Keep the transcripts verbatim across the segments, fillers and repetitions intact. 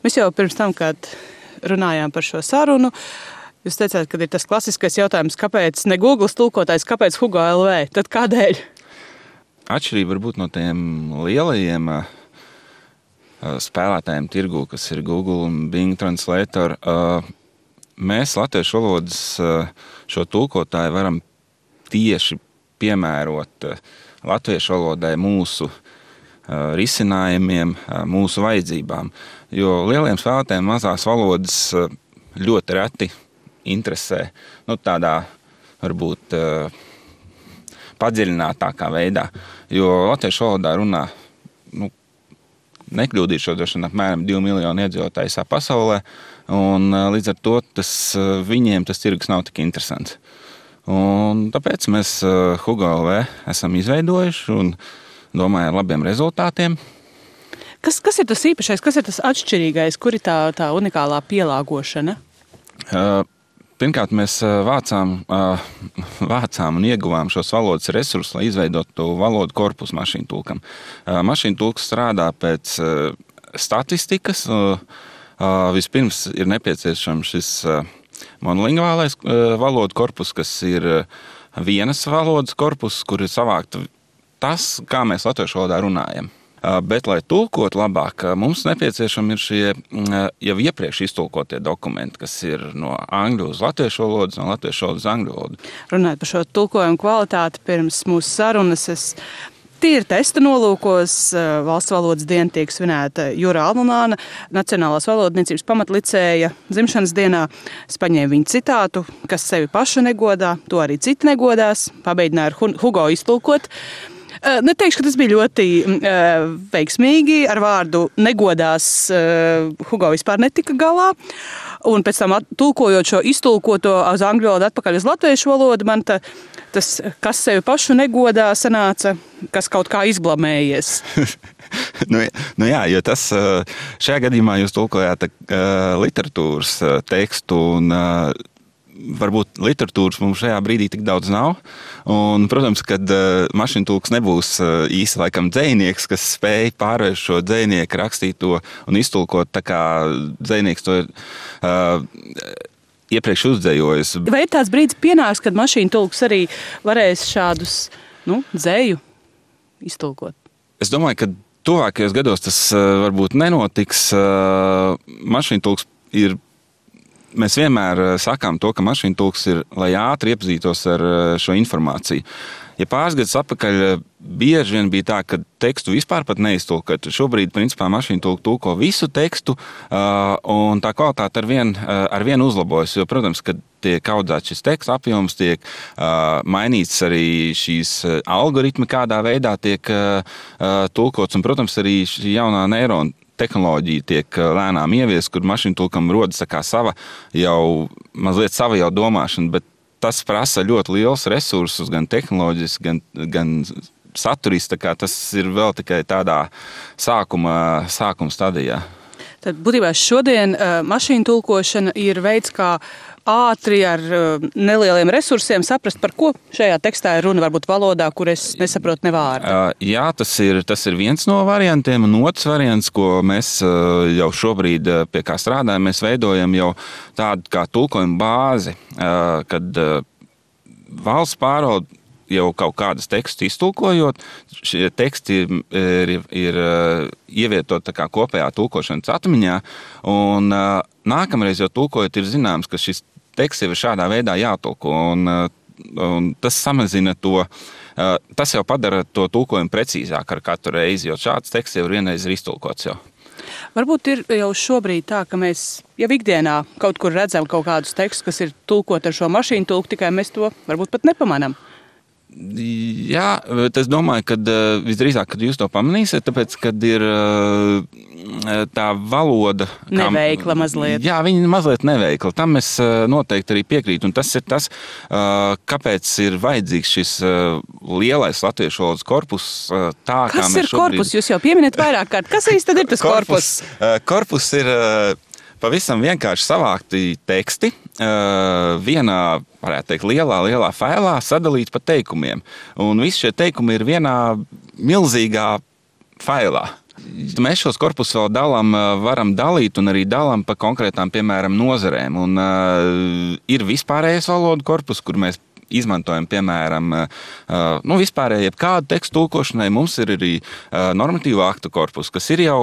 Mēs jau pirms tam, kad runājām par šo sarunu, jūs teicāt, ka ir tas klasiskais jautājums, kāpēc ne Google tulkotājs, kāpēc Hugo L V? Tad kādēļ? Atšķirība varbūt no tiem lielajiem uh, spēlētājiem tirgū, kas ir Google un Bing Translator. Uh, mēs latviešu valodas uh, šo tulkotāju varam tieši piemērot uh, latviešu valodai mūsu uh, risinājumiem, uh, mūsu vajadzībām. Jo lieliem spēlētājiem mazās valodas uh, ļoti reti interesē, nu tādā varbūt uh, padziļinātākā veidā, jo latviešu valodā runā, nu, nekļūdīšu droši apmēram divi miljoni iedzīvotāju visā pasaulē, un uh, līdz ar to tas, uh, viņiem tas tirgus nav tik interesants. Un tāpēc mēs uh, Hugo L V esam izveidojuši un domāju ar labiem rezultātiem. Kas, kas ir tas īpašais, kas ir tas atšķirīgais, kur ir tā, tā unikālā pielāgošana? Uh, Pirmkārt, mēs vācām, vācām un ieguvām šos valodas resursus, lai izveidotu valodu korpusu mašīnu tulkam. Mašīnu tulks strādā pēc statistikas. Vispirms ir nepieciešams šis monolingvālais valodu korpus, kas ir vienas valodas korpus, kur ir savākta tas, kā mēs latviešu valodā runājam. Bet, lai tulkot labāk, mums nepieciešami ir šie jau iepriekš iztulkotie dokumenti, kas ir no angļu uz latviešu valodas, no latviešu valodas uz angļu valodu. Runājot par šo tulkojumu kvalitāti, pirms mūsu sarunas es tīri testa nolūkos valsts valodas diena tiek svinēta Jura Almumāna, Nacionālās valodniecības pamatlicēja dzimšanas dienā. Es paņēmu viņu citātu, kas sevi pašu negodā, to arī citi negodās, pamēģināju ar Hugo iztulkot. Neteikšu, ka tas bija ļoti uh, veiksmīgi. Ar vārdu negodās uh, Hugo vispār netika galā. Un pēc tam tulkojot šo iztulkoto uz angļu valodu atpakaļ uz latviešu valodu, man ta, tas, kas sevi pašu negodā, sanāca, kas kaut kā izblamējies. nu, nu jā, jo tas šajā gadījumā jūs tulkojāt uh, literatūras uh, tekstu un uh, varbūt literatūras mums šajā brīdī tik daudz nav. Un, protams, kad uh, mašīntulks nebūs uh, īsti laikam dzejnieks, kas spēj pārvērst šo dzejnieku rakstīto un iztulkot tā kā dzejnieks to ir uh, iepriekš uzdzējojis. Vai ir tāds brīdis pienāks, kad mašīntulks arī varēs šādus, nu, dzēju iztulkot? Es domāju, ka tuvākajos gados tas uh, varbūt nenotiks. Uh, mašīntulks ir Mēs vienmēr sakām to, ka mašīntulks ir, lai ātri iepazītos ar šo informāciju. Ja pāris gadus atpakaļ bieži vien bija tā, ka tekstu vispār pat neiztulkot. Šobrīd, principā, mašīntulka tulko visu tekstu, un tā kvalitāte ar vien, ar vien uzlabojas. Jo, protams, kad tiek audzēts šis teksta apjoms, tiek mainīts arī šīs algoritmi, kādā veidā tiek tulkots, un, protams, arī šī jaunā neirona tehnoloģija tiek lēnām ievies, kur mašīntulkam rodas tā kā sava jau, mazliet sava jau domāšana, bet tas prasa ļoti liels resursus, gan tehnoloģis, gan, gan saturis, tā kā tas ir vēl tikai tādā sākuma, sākuma stadijā. Tad būtībā šodien uh, mašīnu tulkošana ir veids, kā ātri ar uh, nelieliem resursiem saprast, par ko šajā tekstā ir runa, varbūt valodā, kur es nesaprotu ne vārdu. Uh, jā, tas ir, tas ir viens no variantiem, un otrs variants, ko mēs uh, jau šobrīd uh, pie kā strādājam, mēs veidojam jau tādu kā tulkojumu bāzi, uh, kad uh, valsts pārvalde jau kaut kādas tekstus iztulkojot, šie teksti ir, ir, ir ievietot tā kā kopējā tulkošanas atmiņā, un nākamreiz jau tulkojot ir zināms, ka šis teksts jau ir šādā veidā jātulko, un, un tas samazina to, tas jau padara to tulkojumu precīzāk ar katru reizi, jo šāds teksts jau ir vienreiz ir iztulkots jau. Varbūt ir jau šobrīd tā, ka mēs jau ikdienā kaut kur redzam kaut kādus tekstus, kas ir tulkot ar šo mašīnu tulku, tikai mēs to varbūt pat nepamanām. Jā, bet es domāju, ka visdrīzāk, kad jūs to pamanīsiet, tāpēc, kad ir tā valoda... Neveikla mazliet. Jā, viņa mazliet neveikla. Tam es noteikti arī piekrītu. Un tas ir tas, kāpēc ir vajadzīgs šis lielais latviešu valodas korpus. Tā, Kas kā ir šobrīd... korpus? Jūs jau pieminat vairāk kārt. Kas īsti tad ir tas korpus? Korpus, korpus ir... Pavisam vienkārši savākti teksti vienā, varētu teikt, lielā, lielā failā sadalīti pa teikumiem. Un visi šie teikumi ir vienā milzīgā failā. Mēs šos korpusus vēl dalām, varam dalīt un arī dalām pa konkrētām, piemēram, nozarēm. Un, uh, ir vispārējais valodu korpus, kur mēs izmantojam, piemēram, uh, nu, vispārēji jebkādu tekstu tulkošanai. Mums ir arī uh, normatīvu aktu korpus, kas ir jau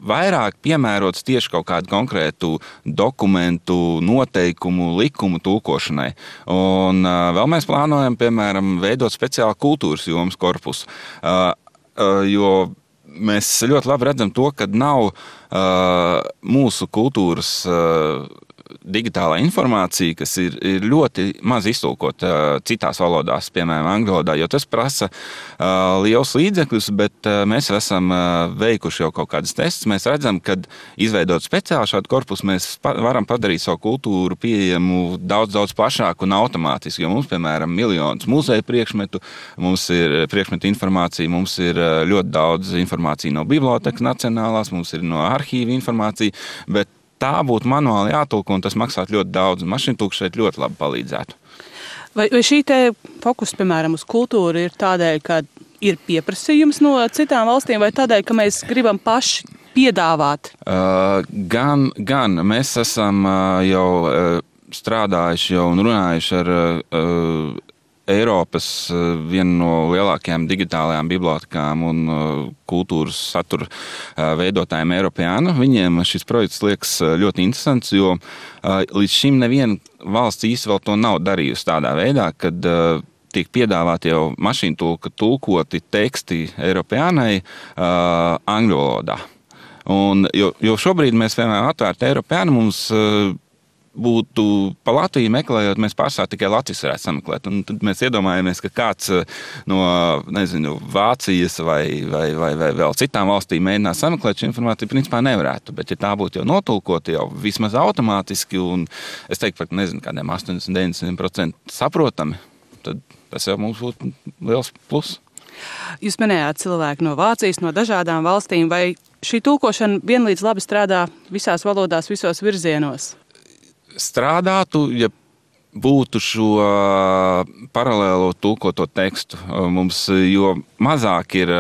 vairāk piemērots tieši kaut kādu konkrētu dokumentu, noteikumu, likumu tulkošanai. Un uh, vēl mēs plānojam, piemēram, veidot speciālu kultūras jomas korpusu, uh, uh, jo mēs ļoti labi redzam to, ka nav uh, mūsu kultūras uh, digitālā informācija, kas ir, ir ļoti maz iztulkot uh, citās valodās, piemēram, angļu valodā, jo tas prasa uh, liels līdzekļus, bet uh, mēs esam uh, veikuši jau kaut kādas testus. Mēs redzam, ka izveidot speciāli šādu korpusu, mēs pa- varam padarīt savu kultūru pieejamu daudz, daudz plašāku un automātiski, jo mums, piemēram, miljonus muzeju priekšmetu, mums ir priekšmetu informācija, mums ir uh, ļoti daudz informācija no bibliotekas nacionālās, mums ir no arhīva informācija, bet tā būtu manuāli jātulko, un tas maksātu ļoti daudz. Mašīntulks šeit ļoti labi palīdzētu. Vai, vai šī te fokus, piemēram, uz kultūru ir tādēļ, ka ir pieprasījums no citām valstīm, vai tādēļ, ka mēs gribam paši piedāvāt? Uh, gan, gan. Mēs esam uh, jau uh, strādājuši jau un runājuši ar uh, Eiropas uh, vienu no lielākajām digitālajām bibliotekām un uh, kultūras satura uh, veidotājiem Eiropāna. Viņiem šis projekts liekas uh, ļoti interesants, jo uh, līdz šim neviena valsts īsti vēl to nav darījusi tādā veidā, kad uh, tiek piedāvāti jau mašīntulka tulkoti teksti Eiropānai uh, angļu valodā. Un, jo, jo šobrīd mēs vienmēr atvērti Eiropānu, mums uh, būtu pa Latviju meklējot, mēs pārsvarā tikai Latvijas varētu sameklēt. Un tad mēs iedomājamies, ka kāds no, nezinu, Vācijas vai, vai, vai, vai vēl citām valstīm mēģinās sameklēt šo informāciju, principā nevarētu. Bet ja tā būtu jau notulkota jau vismaz automātiski un es teiktu, pat nezinu, kādiem astoņdesmit līdz deviņdesmit procenti saprotami, tad tas jau mums būtu liels plus. Jūs minējāt cilvēku no Vācijas, no dažādām valstīm, vai šī tulkošana vienlīdz labi strādā visās valodās, visos virzienos? Strādātu, ja būtu šo paralēlo tulkoto tekstu mums, jo mazāk ir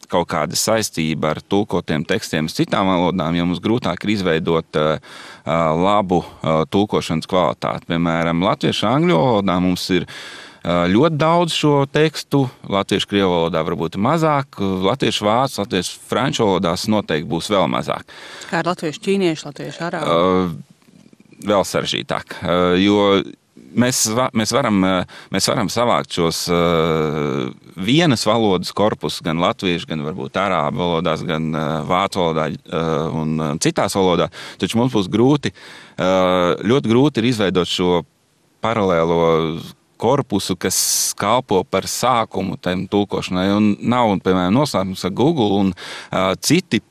kaut kāda saistība ar tulkotiem tekstiem uz citām valodām, jo mums grūtāk ir izveidot labu tulkošanas kvalitāti. Piemēram, latviešu angļu valodā mums ir ļoti daudz šo tekstu, latviešu krievu valodā varbūt mazāk, latviešu vācu, latviešu franču valodās noteikti būs vēl mazāk. Kā ar latviešu ķīniešu, latviešu arābu? Uh, vēl sarežģītāk, jo mēs, mēs, varam, mēs varam savākt šos vienas valodas korpusus, gan latviešu, gan varbūt arābu valodās, gan vācu valodā un citās valodās, taču mums būs grūti, ļoti grūti ir izveidot šo paralēlo korpusu, kas kalpo par sākumu tam tulkošanai, un nav, piemēram, noslēpums ar Google un citi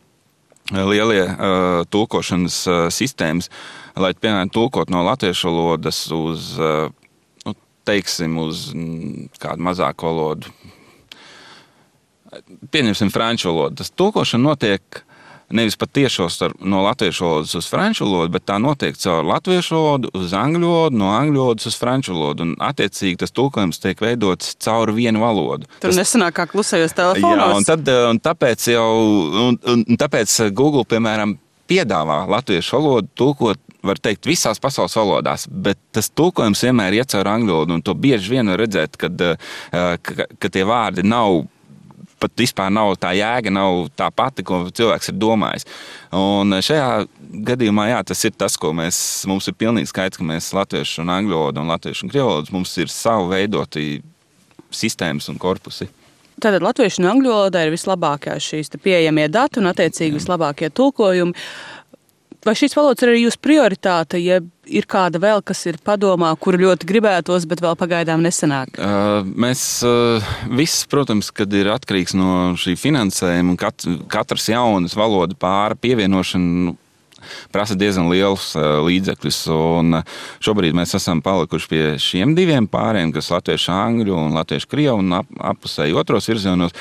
lielie uh, tulkošanas uh, sistēmas, lai, piemēram, tulkot no latviešu valodas uz, uh, nu, teiksim, uz mm, kādu mazāku valodu. Pieņemsim franču valodu. Tas tulkošana notiek nevis pat tiešos no latviešu valodas uz franču valodu, bet tā notiek caur latviešu valodu uz angļu valodu, no angļu valodas uz franču valodu. Un attiecīgi tas tulkojums tiek veidots caur vienu valodu. Tur tas nesanāk kā klusējos telefonos. Jā, un, tad, un tāpēc jau, un, un tāpēc Google, piemēram, piedāvā latviešu valodu tulkot, var teikt, visās pasaules valodās, bet tas tulkojums vienmēr iet caur angļu valodu, un to bieži vien var redzēt, kad, ka, ka tie vārdi nav pat vispār nav tā jēga, nav tā pati, ko cilvēks ir domājis. Un šajā gadījumā, jā, tas ir tas, ko mēs, mums ir pilnīgi skaidrs, ka mēs latviešu un angļu valodu un latviešu un krievu valodu, mums ir savu veidoti sistēmas un korpusi. Tātad latviešu un angļu valodā ir vislabākā šīs pieejamie dati un attiecīgi vislabākie tulkojumi. Vai šīs valodas ir arī jūsu prioritāte, ja ir kāda vēl, kas ir padomā, kuru ļoti gribētos, bet vēl pagaidām nesanāk? Uh, mēs uh, viss, protams, kad ir atkarīgs no šī finansējuma un kat, katras jaunas valoda pāra pievienošana prasa diezgan liels uh, līdzekļus. Un šobrīd mēs esam palikuši pie šiem diviem pāriem, kas latviešu angļu un latviešu krievu un ap, apusēji otros virzienos.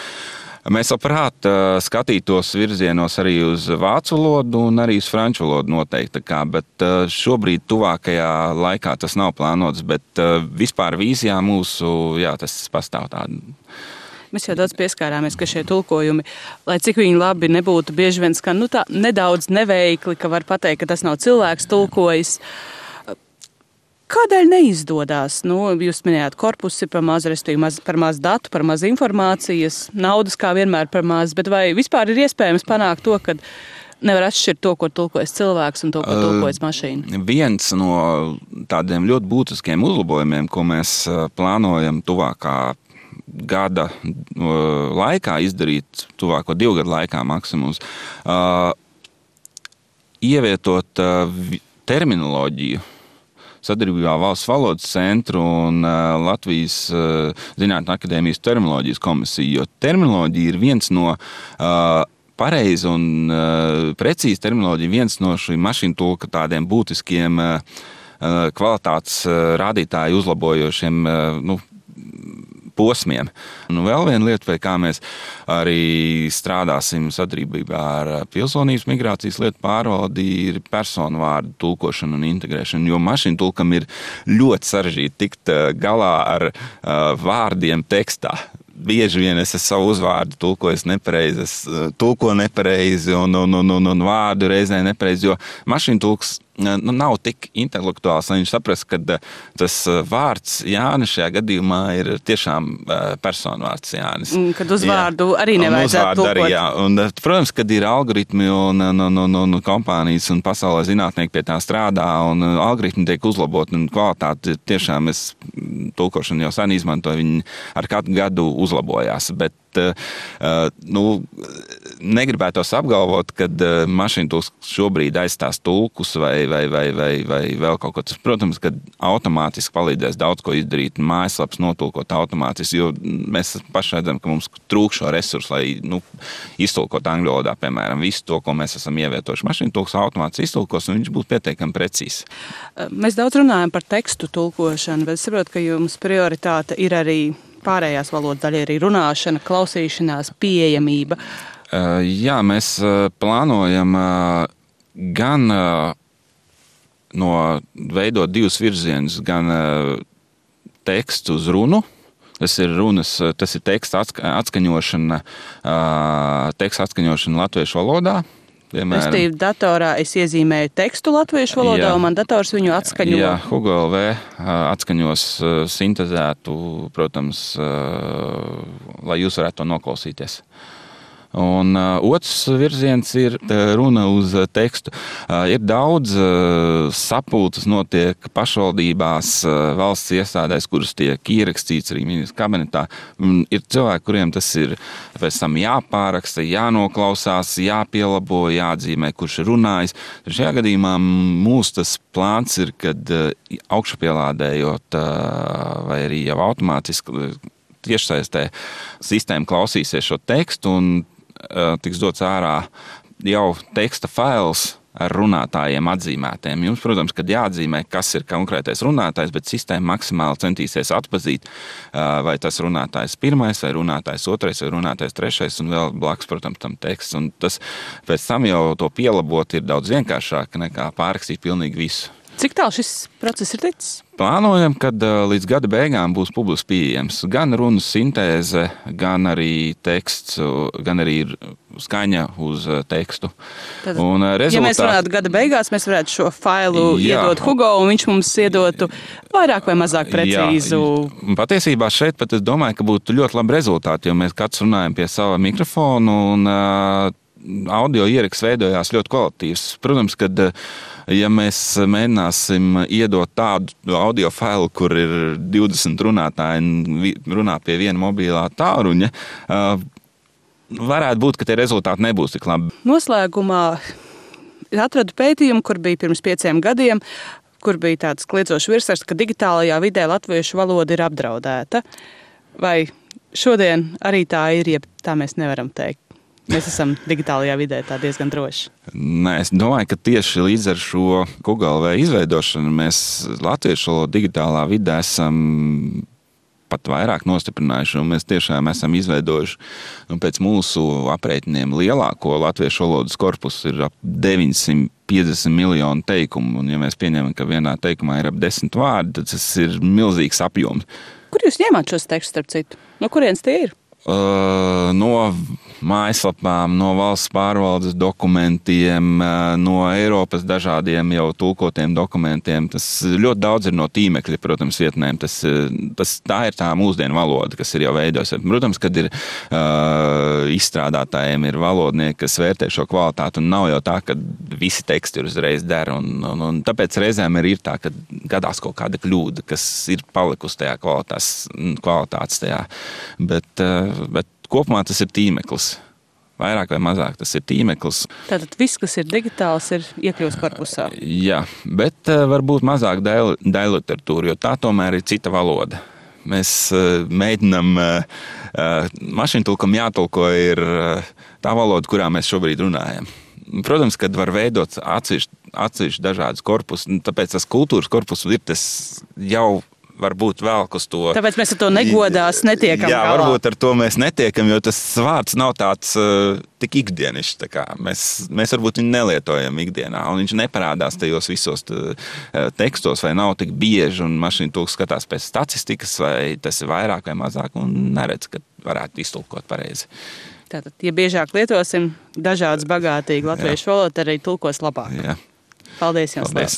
Mēs labprāt skatītos virzienos arī uz vācu valodu un arī uz franču valodu noteikti, kā, bet šobrīd tuvākajā laikā tas nav plānots, bet vispār vīzijā mūsu, jā, tas pastāv tāda. Mēs jau daudz pieskārāmies, ka šie tulkojumi, lai cik viņi labi nebūtu, bieži vien skan nu, tā, nedaudz neveikli, ka var pateikt, ka tas nav cilvēks tulkojis. Kādēļ neizdodas? Nu, jūs minējāt, korpus ir par maz, respektīvi maz, par maz datu, par maz informācijas, naudas kā vienmēr par maz, bet vai vispār ir iespējams panākt to, ka nevar atšķirt to, ko tulkojas cilvēks un to, ko tulkojas mašīna? Viens no tādiem ļoti būtiskiem uzlabojumiem, ko mēs plānojam tuvākā gada laikā izdarīt, tuvāko divu gadu laikā maksimums, uh, ievietot uh, terminoloģiju sadarbībā Valsts valodas centru un uh, Latvijas uh, Zinātņu akadēmijas terminoloģijas komisiju, jo terminoloģija ir viens no uh, pareizi un uh, precīzi terminoloģija, viens no šī mašīnu tulka tādiem būtiskiem uh, kvalitātes uh, rādītāju uzlabojošiem uh, nu, posmiem. Nu, vēl viena lieta, pie kā mēs arī strādāsim sadarbībā ar pilsonības migrācijas lietu pārvaldi, ir personu vārdu tulkošana un integrēšana, jo mašīnu tulkam ir ļoti sarežģīti tikt galā ar uh, vārdiem tekstā. Bieži vien es savu uzvārdu tulkoju nepareizi, es tulko nepareizi un, un, un, un, un vārdu reizē nepareizi, jo mašīnu tulks nu, nav tik intelektuāls, lai viņš saprast, ka tas vārds Jānis šajā gadījumā ir tiešām personu vārds Jānis. Kad uz vārdu jā. Arī nevajadzētu tulkot. Arī, jā. Un, protams, kad ir algoritmi un, un, un, un kompānijas un pasaulē zinātnieki pie tā strādā un algoritmi tiek uzlabot un kvalitāti tiešām es tulkošanu jau sen izmantoju, viņi ar katru gadu uzlabojās, bet Uh, nu, negribētos apgalvot, ka uh, mašīnu tulks šobrīd aizstās tulkus vai, vai, vai, vai, vai vēl kaut ko. Tas, protams, ka automātiski palīdzēs daudz ko izdarīt, mājaslaps notulkot automātiski, jo mēs paši redzam, ka mums trūk šo resursu, lai nu, iztulkot angļu valodā, piemēram, visu to, ko mēs esam ievietojuši. Mašīnu tulks automātiski iztulkos un viņš būs pietiekami precīzs. Mēs daudz runājam par tekstu tulkošanu, bet es saprotu, ka jums prioritāte ir arī pārējās valodas daļa, arī runāšana, klausīšanās, pieejamība. Uh, jā, mēs uh, plānojam uh, gan uh, no veidot divus virzienus, gan uh, tekstu uz runu. Tas ir runas, tas ir teksta atska, atskaņošana, uh, teksta atskaņošana latviešu valodā. Restīvi, datorā es iezīmēju tekstu latviešu valodā, jā, un man dators viņu atskaņo. Jā, Hugo L V atskaņos sintezētu, protams, lai jūs varētu to noklausīties. Un uh, otrs virziens ir runa uz tekstu. Uh, ir daudz uh, sapulces notiek pašvaldībās, uh, valsts iestādēs, kuras tiek ierakstīts arī ministra kabinetā. Un ir cilvēki, kuriem tas ir pēc tam jāpāraksta, jānoklausās, jāpielabo, jāatzīmē, kurš ir runājis. Šajā gadījumā mūsu tas plāns ir, kad uh, augšupielādējot uh, vai arī jau automātiski tiešsaistē sistēma klausīsies šo tekstu un tiks dots ārā jau teksta fails ar runātājiem atzīmētiem. Jums, protams, kad jāatzīmē, kas ir konkrētais runātājs, bet sistēma maksimāli centīsies atpazīt, vai tas runātājs pirmais, vai runātājs otrais, vai runātājs trešais, un vēl blakus, protams, tam teksts. Un tas pēc tam jau to pielabot ir daudz vienkāršāk nekā pārrakstīt pilnīgi visu. Cik tālu šis process ir ticis? Plānojam, kad līdz gada beigām būs publiski pieejams gan runas sintēze, gan arī teksts, gan arī skaņa uz tekstu. Tad, un rezultāt... Ja mēs runātu gada beigās, mēs varētu šo failu jā, iedot Hugo, un viņš mums iedotu vairāk vai mazāk precīzu. Jā, patiesībā šeit pat es domāju, ka būtu ļoti labi rezultāti, jo mēs katrs runājam pie sava mikrofonu, un uh, audio ieraksts veidojās ļoti kvalitatīvs. Protams, kad ja mēs mēģināsim iedot tādu audio failu, kur ir divdesmit runātāji runā pie viena mobilā tālruņa, varētu būt, ka tie rezultāti nebūs tik labi. Noslēgumā atradu pētījumu, kur bija pirms pieciem gadiem, kur bija tāds kliedzošs virsraksts, ka digitālajā vidē latviešu valoda ir apdraudēta. Vai šodien arī tā ir, ja tā mēs nevaram teikt? Mēs esam digitālajā vidē tā diezgan droši. Nē, es domāju, ka tieši līdz ar šo Google vai izveidošanu mēs latviešu digitālā vidē esam pat vairāk nostiprinājuši, un mēs tiešām esam izveidojuši nu, pēc mūsu aprēķiniem lielāko latviešu valodas korpusu ir ap deviņsimt piecdesmit miljonu teikumu, un ja mēs pieņemam, ka vienā teikumā ir ap desmit vārdi, tad tas ir milzīgs apjoms. Kur jūs ņēmāt šos tekstus, starp citu? No kurienes tie ir? Uh, no mājaslapām, no valsts pārvaldes dokumentiem, no Eiropas dažādiem jau tulkotiem dokumentiem. Tas ļoti daudz ir no tīmekļa, protams, vietnēm. Tas, tas, tā ir tā mūsdienu valoda, kas ir jau veidojusies. Protams, kad ir uh, izstrādātājiem, ir valodnieki, kas vērtē šo kvalitāti, un nav jau tā, ka visi teksti ir uzreiz der. Un, un, un tāpēc reizēm ir, ir tā, ka gadās kaut kāda kļūda, kas ir palikusi tajā kvalitātes, kvalitātes tajā. Bet, uh, bet kopumā tas ir tīmeklis. Vairāk vai mazāk tas ir tīmeklis. Tātad viss, kas ir digitāls, ir iekļūst korpusā. Jā, bet uh, varbūt mazāk daļliteratūra, jo tā tomēr ir cita valoda. Mēs uh, mēģinam, uh, uh, mašīntulkam jātulko ir uh, tā valoda, kurā mēs šobrīd runājam. Protams, kad var veidot atsevišķi, atsevišķi dažādas korpus, tāpēc tas kultūras korpus ir tas jau varbūt vēl uz to. Tāpēc mēs ar to negodās netiekam Jā, galā. varbūt ar to mēs netiekam, jo tas vārds nav tāds uh, tik ikdienišs. Tā kā mēs, mēs varbūt viņu nelietojam ikdienā, un viņš neparādās tajos visos tā, tekstos, vai nav tik bieži, un mašīntulks skatās pēc statistikas, vai tas ir vairāk vai mazāk, un neredz, ka varētu iztulkot pareizi. Tātad, ja biežāk lietosim dažādas bagātīgi latviešu valodu, arī tulkos labāk. Jā. Paldies jums! Paldies.